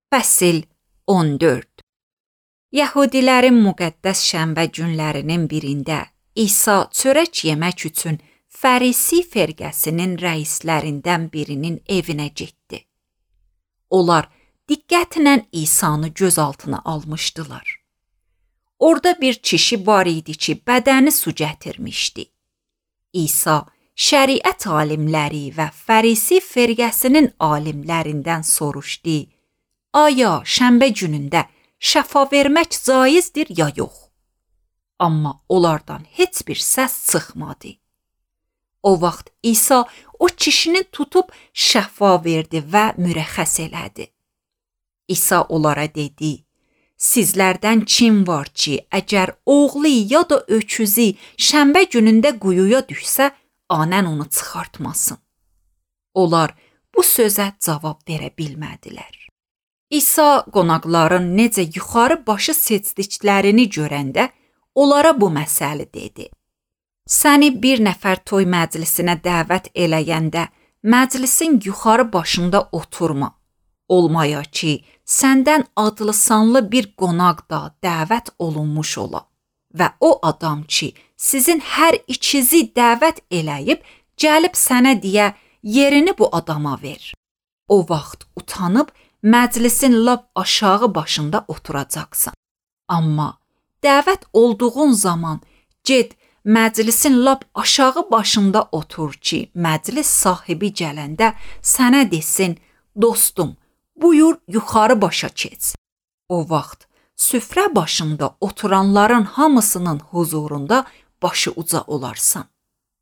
Fəsil 14. Yəhudilərin müqəddəs şənbə günlərinin birində İsa çörək yemək üçün Fərisi firqəsinin rəislərindən birinin evinə getdi. Onlar diqqətlə İsanı göz altına almışdılar. Orada bir kişi var idi ki, bədəni su gətirmişdi. İsa şəriət alimləri və Fərisi firqəsinin alimlərindən soruşdu: Aya şənbə günündə şəfa vermək caizdir ya yox? Amma onlardan heç bir səs çıxmadı. O vaxt İsa o kişini tutub şəfa verdi və mürəxxəs elədi. İsa onlara dedi: Sizlərdən kim var ki, əgər oğlu ya da öküzü şənbə günündə quyuya düşsə, anən onu çıxartmasın? Onlar bu sözə cavab verə bilmədilər. İsa qonaqların necə yuxarı başı seçdiklərini görəndə onlara bu məsələ dedi: Səni bir nəfər toy məclisinə dəvət eləyəndə məclisin yuxarı başında oturma. Olmaya ki, səndən adlı sanlı bir qonaq da dəvət olunmuş ola və o adam ki, sizin hər ikinizi dəvət eləyib, gəlib sənə deyə yerini bu adama ver. O vaxt utanıb məclisin lap aşağı başında oturacaqsan. Amma dəvət olduğun zaman get məclisin lap aşağı başında otur ki, məclis sahibi gələndə sənə desin: Dostum, buyur yuxarı başa keç. O vaxt süfrə başında oturanların hamısının huzurunda başı uca olarsan.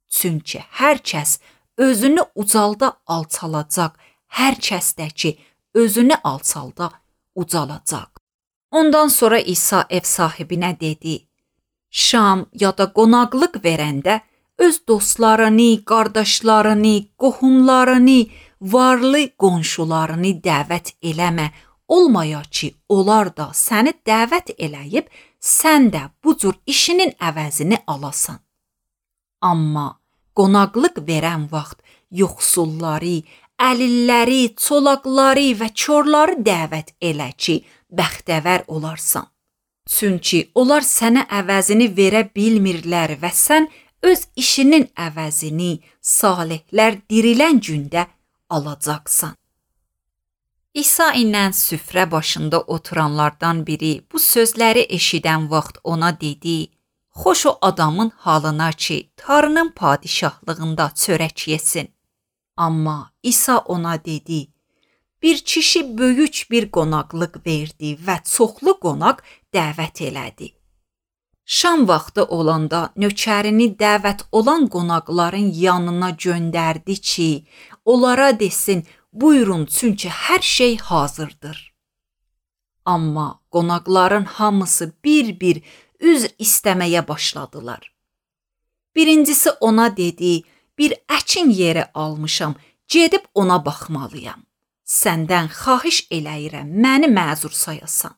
Çünki hər kəs özünü ucalda alçalacaq, hər kəs də ki, özünü alçalda ucalacaq. Ondan sonra İsa ev sahibinə dedi: Şam ya da qonaqlıq verəndə öz dostlarını, qardaşlarını, qohumlarını, varlı qonşularını dəvət eləmə, olmaya ki, onlar da səni dəvət eləyib, sən də bu cür işinin əvəzini alasan. Amma qonaqlıq verən vaxt yoxsulları, əlilləri, çolaqları və körləri dəvət elə ki, bəxtəvər olarsan. Çünki onlar sənə əvəzini verə bilmirlər və sən öz işinin əvəzini salihlər dirilən gündə alacaqsan. İsa ilə süfrə başında oturanlardan biri bu sözləri eşidən vaxt ona dedi: Xoş o adamın halına ki, Tanrının padişahlığında çörək yesin. Amma İsa ona dedi: Bir kişi böyük bir qonaqlıq verdi və çoxlu qonaq dəvət elədi. Şam vaxtı olanda nökərini dəvət olan qonaqların yanına göndərdi ki, onlara desin: Buyurun, çünki hər şey hazırdır. Amma qonaqların hamısı bir-bir üzr istəməyə başladılar. Birincisi ona dedi: Bir əkin yeri almışam, gedib ona baxmalıyam. Səndən xahiş eləyirəm, məni məzur sayasan.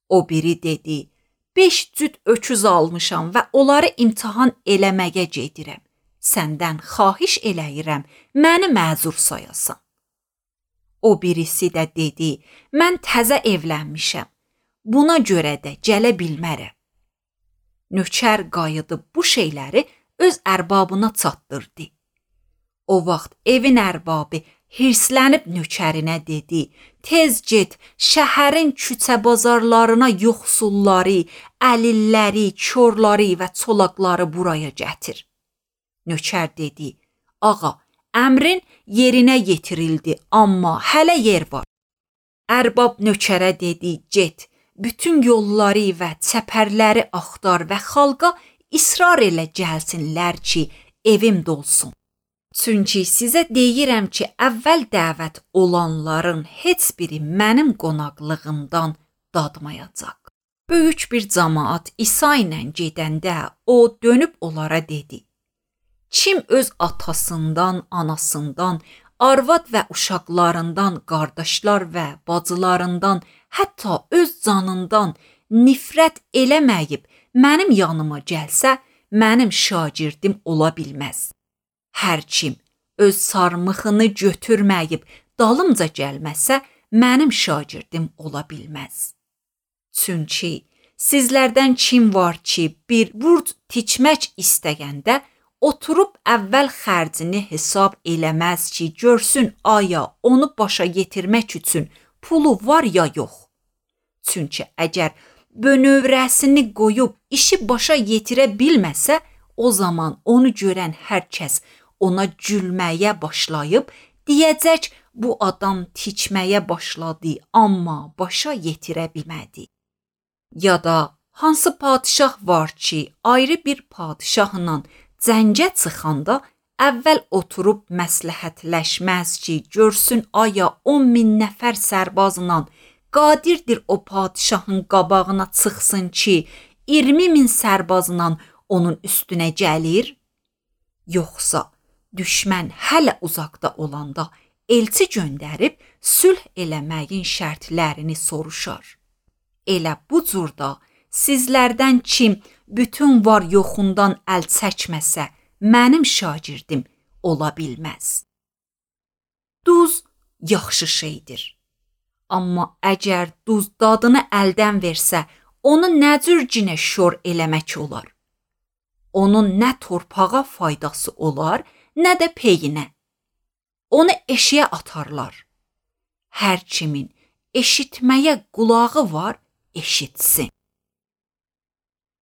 O biri dedi: 5 cüt öküz almışam və onları imtahan eləməyə gedirəm. Səndən xahiş eləyirəm, məni məzur sayasan. O birisi də dedi: Mən təzə evlənmişəm, buna görə də gələ bilmərəm. Nökər qayıdıb bu şeyləri öz ərbabına çatdırdı. O vaxt evin ərbabı hirslənib nökərinə dedi: Tez get, şəhərin küçə bazarlarına yoxsulları, əlilləri, körləri və çolaqları buraya gətir. Nökər dedi: Ağa, əmrin yerinə yetirildi, amma hələ yer var. Ərbab nökərə dedi: Get, bütün yolları və çəpərləri axtar və xalqa israr elə gəlsinlər ki, evim dolsun. Çünki sizə deyirəm ki, əvvəl dəvət olanların heç biri mənim qonaqlığımdan dadmayacaq. Böyük bir cəmaət İsa ilə gedəndə o dönüb onlara dedi: Kim öz atasından, anasından, arvad və uşaqlarından, qardaşlar və bacılarından, hətta öz canından nifrət eləməyib mənim yanıma gəlsə, mənim şagirdim ola bilməz. Hər kim öz sarmıxını götürməyib dalımca gəlməsə, mənim şagirdim ola bilməz. Çünki sizlərdən kim var ki, bir burc tikmək istəyəndə oturub əvvəl xərcini hesab eləməz ki, görsün aya onu başa yetirmək üçün pulu var ya yox. Çünki əgər bönövrəsini qoyub işi başa yetirə bilməsə, o zaman onu görən hər kəs ona gülməyə başlayıb, deyəcək bu adam tikməyə başladı, amma başa yetirə bilmədi. Ya da hansı padişah var ki, ayrı bir padişahla cəngə çıxanda əvvəl oturub məsləhətləşməz ki, görsün aya 10.000 nəfər sərbazla qadirdir o padişahın qabağına çıxsın ki, 20.000 sərbazla onun üstünə gəlir? Yoxsa düşmən hələ uzaqda olanda elçi göndərib sülh eləməyin şərtlərini soruşar. Elə bu cürdə sizlərdən kim bütün var yoxundan əl çəkməsə, mənim şagirdim ola bilməz. Duz yaxşı şeydir. Amma əgər duz dadını əldən versə, onu nə cür cinə şor eləmək olar? Onun nə torpağa faydası olar, nə də peyinə. Onu eşiyə atarlar. Hər kimin eşitməyə qulağı var, eşitsin.